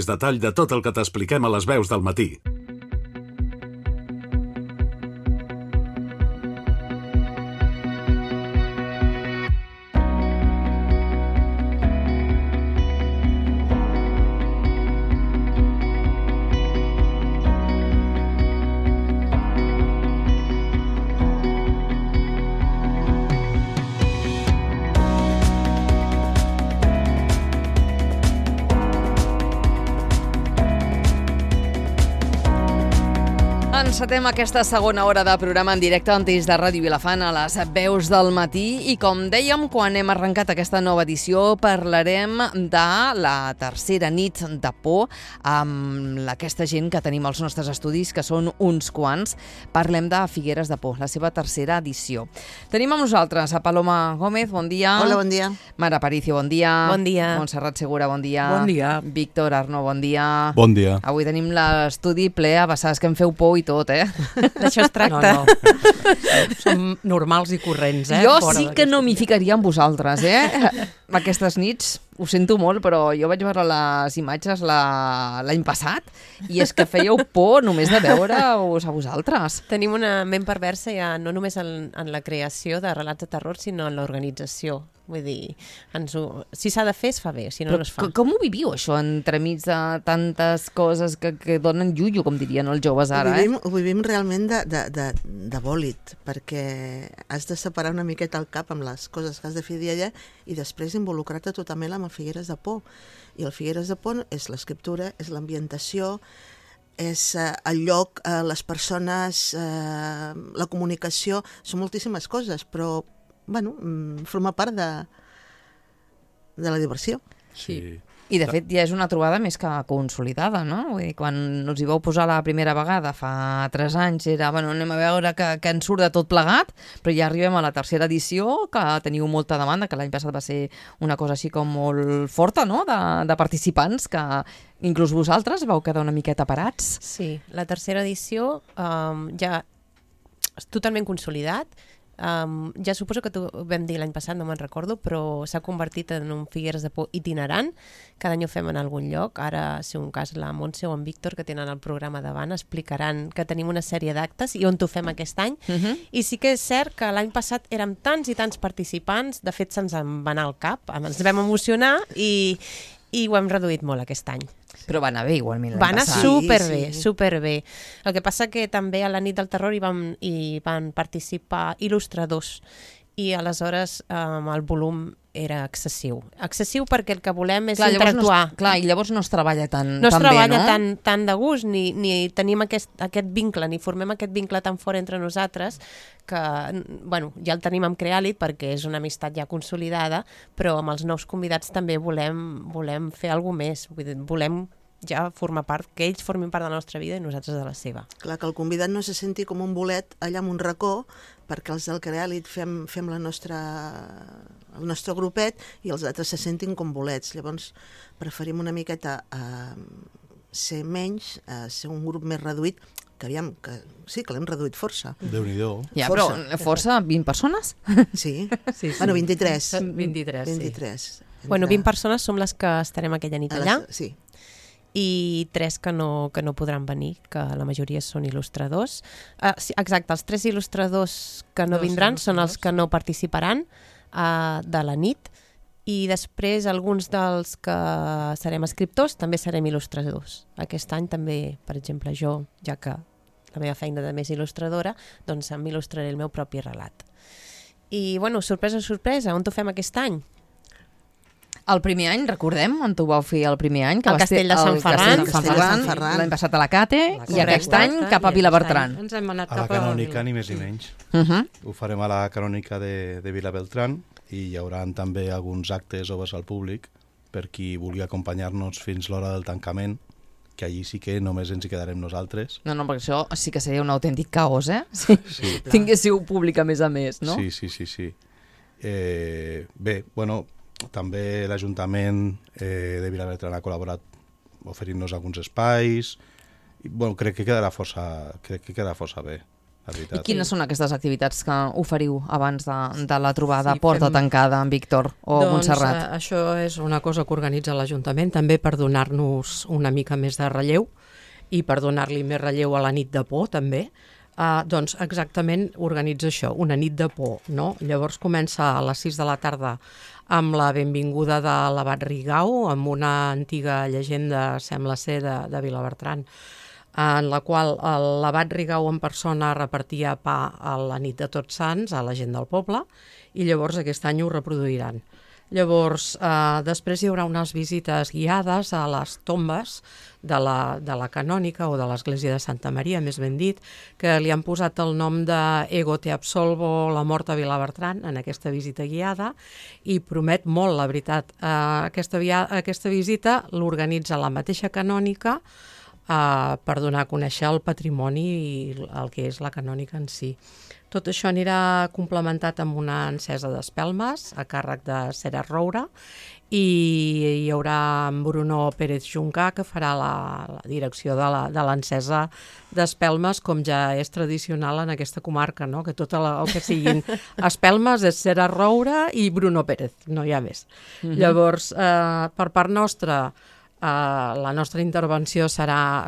Detall de tot el que t'expliquem a les veus del matí. Encetem aquesta segona hora de programa en directe en Teix de Ràdio Vilafant a les veus del matí i com dèiem, quan hem arrencat aquesta nova edició parlarem de la tercera nit de por amb aquesta gent que tenim als nostres estudis, que són uns quants. Parlem de Figueres de Por, la seva tercera edició. Tenim amb nosaltres a Paloma Gómez, bon dia. Hola, bon dia. Mara Aparicio, bon dia. Bon dia. Montserrat Segura, bon dia. Bon dia. Víctor Arnó, bon dia. Bon dia. Avui tenim l'estudi ple a vessades que em feu por i tot, D'això es tracta. No. Som normals i corrents, Jo sí que no m'hi ficaria amb vosaltres, Aquestes nits, ho sento molt, però jo vaig veure les imatges l'any passat i és que fèieu por només de veure-us a vosaltres. Tenim una ment perversa ja no només en la creació de relats de terror, sinó en l'organització. Vull dir, si s'ha de fer, es fa bé, si no, no es fa. Com ho viviu, això, entremig de tantes coses que donen llullo, com dirien els joves ara? Ho vivim realment de bòlit, perquè has de separar una miqueta el cap amb les coses que has de fer dia a dia i després involucrar-te totalment amb el Figueres de Por. I el Figueres de Por és l'escriptura, és l'ambientació, és el lloc, les persones, la comunicació, són moltíssimes coses, però forma part de la diversió. Sí. I de fet ja és una trobada més que consolidada, no? Vull dir, quan us hi vau posar la primera vegada fa 3 anys era, anem a veure que ens surt de tot plegat, però ja arribem a la tercera edició, que teniu molta demanda, que l'any passat va ser una cosa així com molt forta, no?, de participants, que inclús vosaltres vau quedar una miqueta parats. Sí, la tercera edició ja és totalment consolidat. Ja suposo que ho vam dir l'any passat, no me'n recordo, però s'ha convertit en un Figueres de Por itinerant. Cada any ho fem en algun lloc. Ara, si un cas, la Montse o en Víctor, que tenen el programa davant, explicaran que tenim una sèrie d'actes i on ho fem aquest any. I sí que és cert que l'any passat érem tants i tants participants, de fet se'ns en va anar al cap, ens vam emocionar i ho hem reduït molt aquest any. Però va anar bé igualment l'any passat. Va anar superbé, Sí. superbé. El que passa que també a la nit del terror hi van participar il·lustradors i aleshores el volum era excessiu. Excessiu perquè el que volem és interactuar. I llavors no es treballa tan No es treballa bé, no? tan de gust, ni tenim aquest vincle, ni formem aquest vincle tan fort entre nosaltres, que ja el tenim amb Creàlit perquè és una amistat ja consolidada, però amb els nous convidats també volem fer alguna més. Volem ja formar part, que ells formin part de la nostra vida i nosaltres de la seva. Clar, que el convidat no se senti com un bolet allà en un racó, perquè els del Creàlit fem el nostre grupet i els altres se sentin com bolets. Llavors preferim una miqueta ser menys, ser un grup més reduït, que sí, que l'hem reduït força. Déu-n'hi-do. Ja, però força, 20 persones? Sí. Sí. 23. 23. 20 persones som les que estarem aquella nit allà. Sí. I 3 que no podran venir, que la majoria són il·lustradors. Exacte, els 3 il·lustradors que no vindran són els que no participaran de la nit, i després alguns dels que serem escriptors també serem il·lustradors. Aquest any també, per exemple, jo, ja que la meva feina també és il·lustradora, doncs m'il·lustraré el meu propi relat. I, sorpresa, sorpresa, on ho fem aquest any? El primer any, recordem, on ho vau fer el primer any? Al Castell de Sant Ferran. L'any passat a la Cate, i aquest any cap a Vilabertran. Ens hem anat a la Canònica, ni més ni menys. Ho farem a la Canònica de Vilabertran i hi haurà també alguns actes oberts al públic per qui vulgui acompanyar-nos fins l'hora del tancament, que allí sí que només ens hi quedarem nosaltres. No, perquè això sí que seria un autèntic caos, Si tinguéssiu públic a més, no? Sí. Bé, també l'Ajuntament de Vilabertran ha col·laborat oferint-nos alguns espais i crec que quedarà força bé. la I veritat. quines són aquestes activitats que oferiu abans de la trobada Sí, porta fem- tancada amb Víctor o Montserrat? Això és una cosa que organitza l'Ajuntament també per donar-nos una mica més de relleu i per donar-li més relleu a la nit de por també. Doncs exactament organitza això, una nit de por, no? Llavors comença a les 6 de la tarda amb la benvinguda de l'abat Rigau, amb una antiga llegenda, sembla ser, de Vilabertran, en la qual l'abat Rigau en persona repartia pa a la nit de Tots Sants a la gent del poble, i llavors aquest any ho reproduiran. Llavors, després hi haurà unes visites guiades a les tombes de la canònica o de l'església de Santa Maria, més ben dit, que li han posat el nom de Ego te absolvo, la mort a Vilabertran, en aquesta visita guiada, i promet molt, la veritat. Aquesta visita l'organitza la mateixa canònica per donar a conèixer el patrimoni i el que és la canònica en si. Tot això anirà complementat amb una encesa d'espelmes a càrrec de Cera Roura, i hi haurà en Bruno Pérez Juncà, que farà la direcció de l'encesa d'espelmes, com ja és tradicional en aquesta comarca, no? Que tot el que siguin espelmes és Cera Roura i Bruno Pérez, no hi ha més. Llavors, per part nostra, la nostra intervenció serà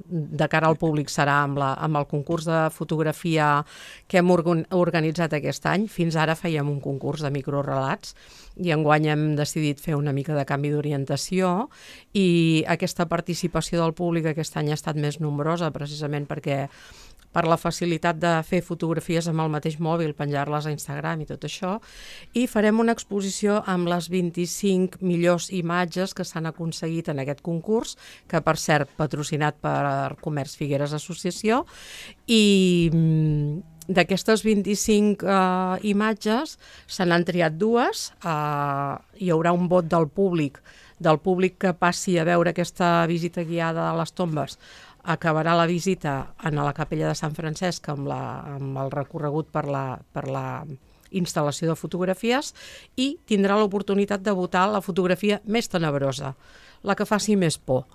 de cara al públic, serà amb el concurs de fotografia que hem organitzat aquest any. Fins ara fèiem un concurs de microrelats i enguany hem decidit fer una mica de canvi d'orientació, i aquesta participació del públic aquest any ha estat més nombrosa, precisament perquè per la facilitat de fer fotografies amb el mateix mòbil, penjar-les a Instagram i tot això, i farem una exposició amb les 25 millors imatges que s'han aconseguit en aquest concurs, que per cert patrocinat per Comerç Figueres Associació, i d'aquestes 25 imatges se n'han triat dues. Hi haurà un vot del públic que passi a veure aquesta visita guiada a les tombes. Acabarà la visita a la capella de Sant Francesc amb el recorregut per la instal·lació de fotografies, i tindrà l'oportunitat de votar la fotografia més tenebrosa, la que faci més por.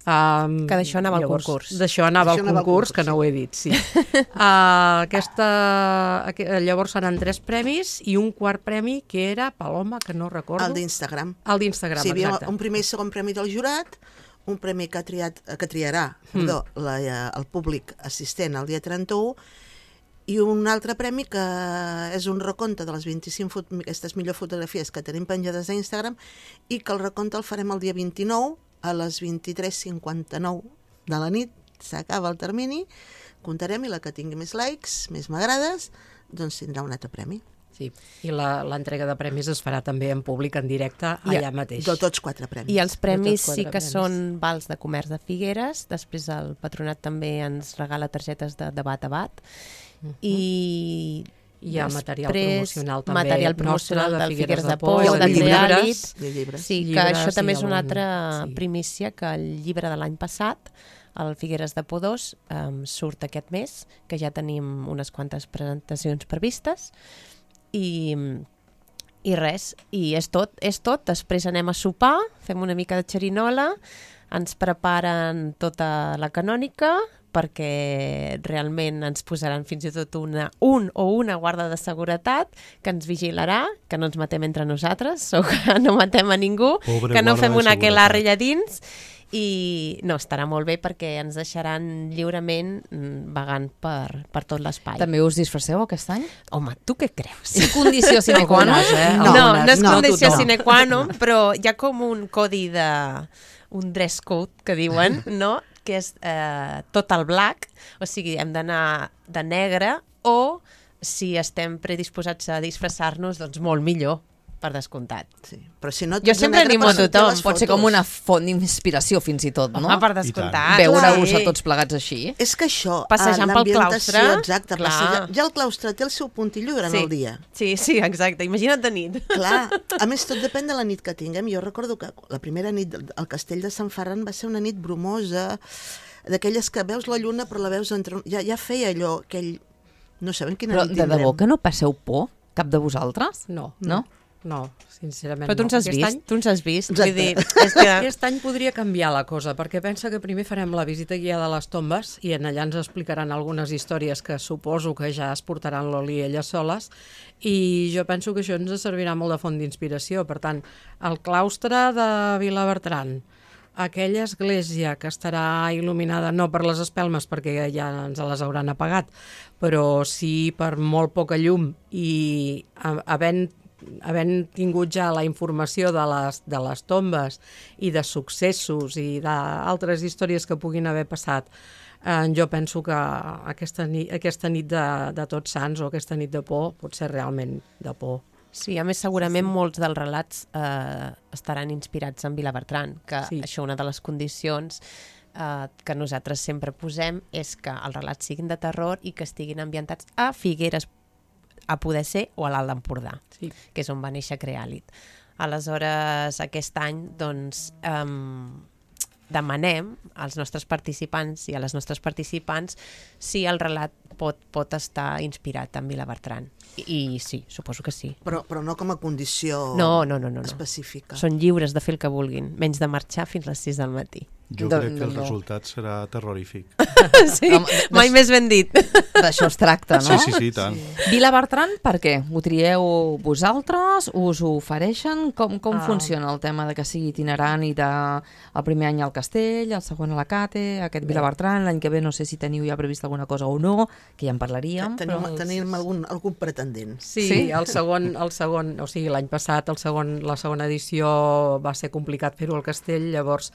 Que d'això anava al concurs. D'això anava al concurs, que no ho he dit, sí. Llavors seran 3 premis i un quart premi que era, Paloma, que no recordo. El d'Instagram. El d'Instagram, sí, exacte. Un primer i segon premi del jurat, un premi que triarà el públic assistent el dia 31, i un altre premi que és un recompte de les 25 aquestes millors fotografies que tenim penjades a Instagram, i que el recompte el farem el dia 29 a les 23:59 de la nit. S'acaba el termini, comptarem, i la que tingui més likes, més m'agrades, doncs tindrà un altre premi. Sí, i l'entrega de premis es farà també en públic, en directe, allà mateix. De tots 4 premis. I els premis De tots 4 sí que premis. són vals de comerç de Figueres, després el patronat també ens regala targetes de bat a bat, i hi ha material promocional també material promocional nostre, del Figueres de Por, Por, i el de d'Andreàlit. llibres. Sí, que Llibres això també i és una algun- altra sí. primícia, que el llibre de l'any passat, el Figueres de Por 2, surt aquest mes, que ja tenim unes quantes presentacions previstes, i res, i és tot. Després anem a sopar, fem una mica de xerinola, ens preparen tota la canònica, perquè realment ens posaran fins i tot un o una guarda de seguretat que ens vigilarà, que no ens matem entre nosaltres, o que no matem a ningú, Pobre que no guarda fem de una seguretat. aquelarre allà dins, i no, estarà molt bé perquè ens deixaran lliurement vagant per tot l'espai. També us disfresseu aquest any? Home, tu què creus? Sí, condició sine qua non. No és no, condició tothom. sine qua non, però hi ha com un codi un dress code, que diuen, no?, que és tot el black, o sigui, hem d'anar de negre, o si estem predisposats a disfressar-nos, doncs molt millor, per descomptat. Sí. Però si no, Jo sempre animo a tothom. Pot ser com una font d'inspiració, fins i tot, no? Home, per descomptat. Veure-us a tots plegats així. És que això, Passejant pel l'ambientació, claustre, exacte, clar. ja el claustre té el seu puntillo durant el dia. Sí, exacte. Imagina't de nit. Clar, a més tot depèn de la nit que tinguem. Jo recordo que la primera nit al castell de Sant Ferran va ser una nit brumosa, d'aquelles que veus la lluna però la veus entre... Ja feia allò, aquell... No sabem quina Però nit de tindrem. debò que no passeu por, cap de vosaltres? No. No? no, sincerament Però tu no. ens has Aquest vist, any- tu ens has vist. Exacte. Vull dir, és que... Aquest any podria canviar la cosa, perquè pensa que primer farem la visita guiada a les tombes i en allà ens explicaran algunes històries que suposo que ja es portaran l'Oli elles soles, i jo penso que això ens servirà molt de font d'inspiració. Per tant, el claustre de Vilabertran, aquella església que estarà il·luminada no per les espelmes perquè ja ens les hauran apagat, però sí per molt poca llum, i havent tingut ja la informació de les tombes i de successos i d'altres històries que puguin haver passat, jo penso que aquesta nit de Tots Sants o aquesta nit de por pot ser realment de por. Sí, a més segurament molts dels relats estaran inspirats en Vilabertran, que això, una de les condicions que nosaltres sempre posem és que els relats siguin de terror i que estiguin ambientats a Figueres, a poder ser, o a l'Alt d'Empordà, que és on va néixer Creàlit. Aleshores, aquest any, doncs, demanem als nostres participants i a les nostres participants si el relat pot estar inspirat en Vilabertran. I sí, suposo que sí. Però no com a condició No. específica. Són lliures de fer el que vulguin, menys de marxar fins les 6 del matí. Jo crec que el resultat serà terrorífic. Sí, mai més ben dit. D'això es tracta, no? Sí, tant. Vilabertran, per què? Ho trieu vosaltres? Us ho ofereixen? Com funciona el tema de que sigui itinerant i el primer any al Castell, el segon a la Cate, aquest Vilabertran, l'any que ve no sé si teniu ja previst alguna cosa o no, que ja en parlaríem. Tenim algun pretendent. Sí, el segon, o sigui, l'any passat la segona edició va ser complicat fer-ho al Castell, llavors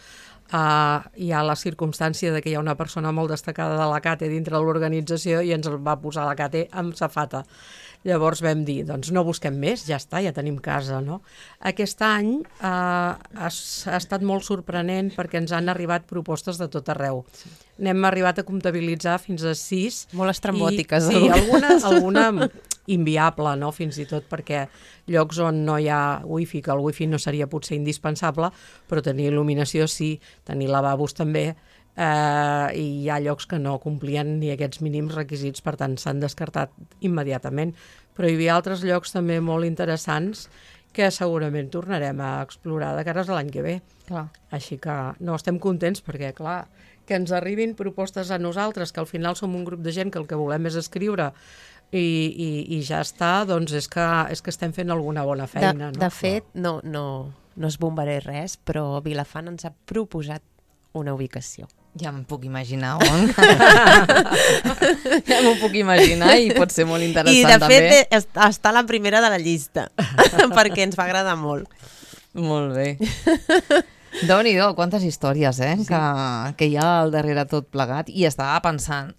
hi ha la circumstància de que hi ha una persona molt destacada de la CATE dintre de l'organització i ens el va posar la CATE amb safata. Llavors vam dir, doncs no busquem més, ja està, ja tenim casa, no? Aquest any ha estat molt sorprenent perquè ens han arribat propostes de tot arreu. N'hem arribat a comptabilitzar fins a 6. Molt estrambòtiques. Sí, alguna inviable, no? Fins i tot perquè llocs on no hi ha wifi, que el wifi no seria potser indispensable, però tenir il·luminació sí, tenir lavabos també, i hi ha llocs que no complien ni aquests mínims requisits, per tant s'han descartat immediatament. Però hi havia altres llocs també molt interessants que segurament tornarem a explorar de cares a l'any que ve. Clar. Així que no, estem contents perquè, clar, que ens arribin propostes a nosaltres, que al final som un grup de gent que el que volem és escriure i ja està, doncs és que estem fent alguna bona feina. De fet, no es bombaré res, però Vilafant ens ha proposat una ubicació. Ja m'ho puc imaginar on. Ja m'ho puc imaginar i pot ser molt interessant també. I de fet està a la primera de la llista, perquè ens va agradar molt. Molt bé. Déu-n'hi-do, quantes històries que hi ha al darrere tot plegat. I estava pensant,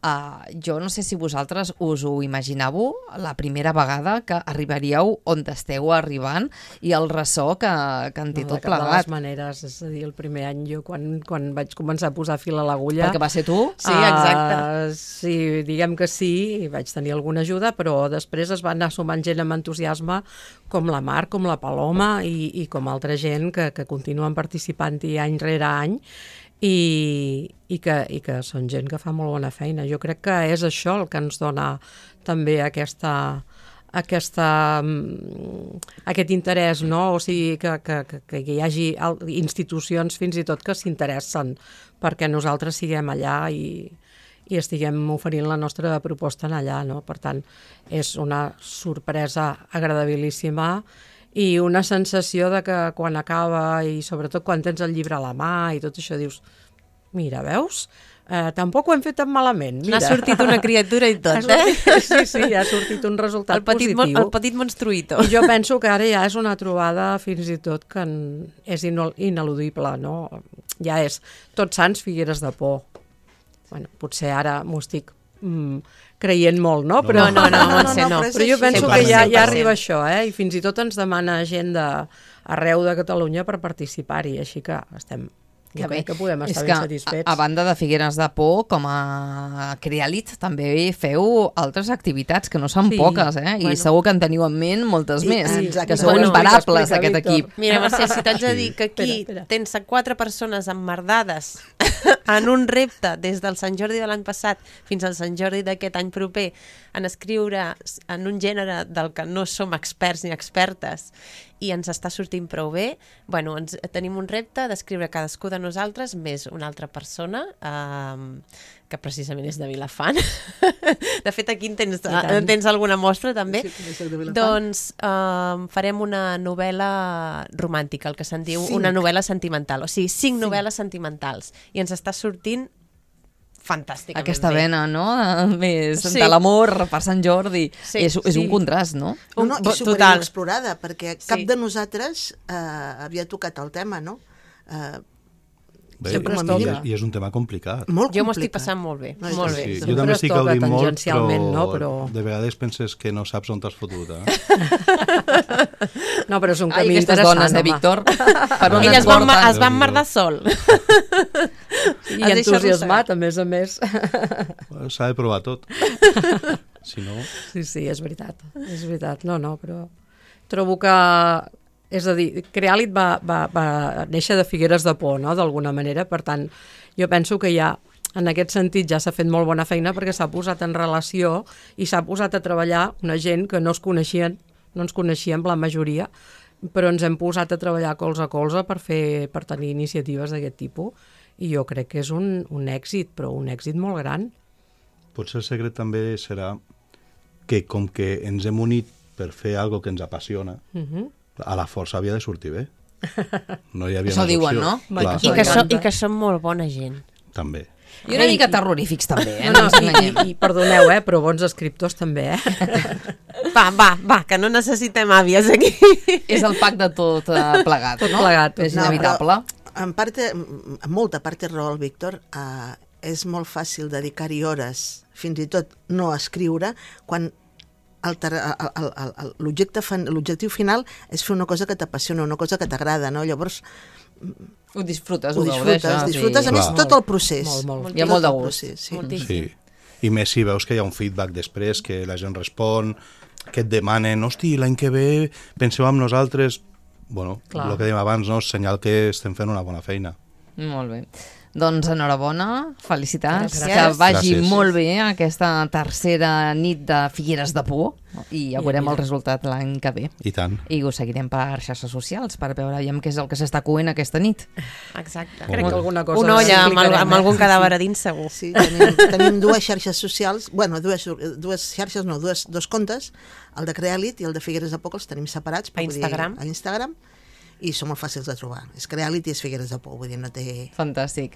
jo no sé si vosaltres us ho imaginàveu la primera vegada que arribaríeu on esteu arribant i el ressò que en té tot plegat. De les maneres, és a dir, el primer any jo quan vaig començar a posar fil a l'agulla... Perquè va ser tu? Sí, exacte. Sí, diguem que sí, i vaig tenir alguna ajuda, però després es va anar sumant gent amb entusiasme, com la Mar, com la Paloma i com altra gent que continuen participant any rere any i que són gent que fa molt bona feina. Jo crec que és això el que ens dona també aquest interès, no? O sigui, que hi hagi institucions fins i tot que s'interessen perquè nosaltres siguem allà i estiguem oferint la nostra proposta en allà, no? Per tant, és una sorpresa agradabilíssima i una sensació de que quan acaba i sobretot quan tens el llibre a la mà i tot això dius, mira, veus? Tampoc ho hem fet tan malament. Mira. N'ha sortit una criatura i tot, Sí, ha sortit un resultat positiu. El petit monstruïto. I jo penso que ara ja és una trobada fins i tot que és ineludible, no? Ja és Tots Sants, Figueres de Por. Bueno, potser ara m'ho estic creient molt, no? Però, no, però jo penso que ja arriba això, i fins i tot ens demana gent arreu de Catalunya per participar-hi, així que estem... Jo crec que podem estar ben satisfets. A banda de Figueres de Por, com a Creàlit, també feu altres activitats, que no són poques, i segur que en teniu en ment moltes més, que sou imparables, aquest equip. Mira, Mercè, si t'haig de dir que aquí tens 4 persones emmerdades en un repte des del Sant Jordi de l'any passat fins al Sant Jordi d'aquest any proper en escriure en un gènere del que no som experts ni expertes i ens està sortint prou bé, bueno, tenim un repte d'escriure cadascú de nosaltres més una altra persona que precisament és de Vilafant. De fet, aquí tens alguna mostra també. Sí, doncs farem una novel·la romàntica, el que se'n diu una novel·la sentimental. O sigui, 5 novel·les sentimentals. I ens està sortint fantàsticament aquesta bé. vena, no? Més de l'amor per Sant Jordi. Sí, és un contrast, no? No, i superinexplorada, perquè cap de nosaltres havia tocat el tema, no? Bé, i és un tema complicat. Molt complicat. Jo m'ho estic passant molt bé. No, molt bé. Sí, jo també estic gaudint molt, però de vegades penses que no saps on t'has fotut. No, però és un camí aquestes interessant, dones, Víctor? Per on Elles et porten? es van merdar sol. I entusiasmat, a més. S'ha de provar tot. Si no... Sí, és veritat. És veritat. No, però trobo que... És a dir, Creàlit va néixer de Figueres de Por, no?, d'alguna manera. Per tant, jo penso que ja, en aquest sentit, ja s'ha fet molt bona feina perquè s'ha posat en relació i s'ha posat a treballar una gent que no ens coneixíem la majoria, però ens hem posat a treballar colze a colze per tenir iniciatives d'aquest tipus. I jo crec que és un èxit, però un èxit molt gran. Potser el secret també serà que, com que ens hem unit per fer alguna que ens apassiona, a la força havia de sortir bé. No hi havia Això més diuen, opció. no? Clar, I que som molt bona gent. també. I una mica terrorífics, també, No, i perdoneu, però bons escriptors també, Va, que no necessitem àvies aquí. És el pack de tot plegat, Tot no? plegat. És inevitable. En molta part té raó el Víctor. És molt fàcil dedicar-hi hores, fins i tot no escriure, quan l'objectiu final és fer una cosa que t'apassiona, una cosa que t'agrada, no? Llavors Ho disfrutes, ho disfrutes, a més tot el procés. Molt. Hi ha molt de gust. Sí. I més si veus que hi ha un feedback després, que la gent respon, que et demanen, hosti, l'any que ve penseu en nosaltres. Bueno, el que dèiem abans, no? És senyal que estem fent una bona feina. Molt bé. Doncs enhorabona, felicitats, Gràcies. que vagi Gràcies. molt bé aquesta tercera nit de Figueres de Por i ja veurem el resultat l'any que ve. I tant. I ho seguirem per xarxes socials per veure què és el que s'està coent aquesta nit. Exacte. Crec que alguna cosa Una olla explicarem, amb algun cadàver a dins, segur. Sí, tenim dues xarxes socials, dues xarxes, no, dos comptes, el de Creàlit i el de Figueres de Por, els tenim separats. A Instagram. A Instagram, i són molt fàcils de trobar. És Creàlit i és Figueres de Por, vull dir, no té... Fantàstic.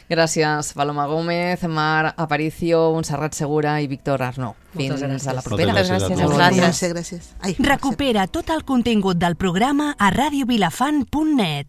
Gràcies, Paloma Gómez, Mar Aparicio, Montserrat Segura i Víctor Arnau. Fins a la propera. Moltes gràcies a Gràcies a vosaltres. Gràcies. Ai, Recupera tot el contingut del programa a radiovilafant.net.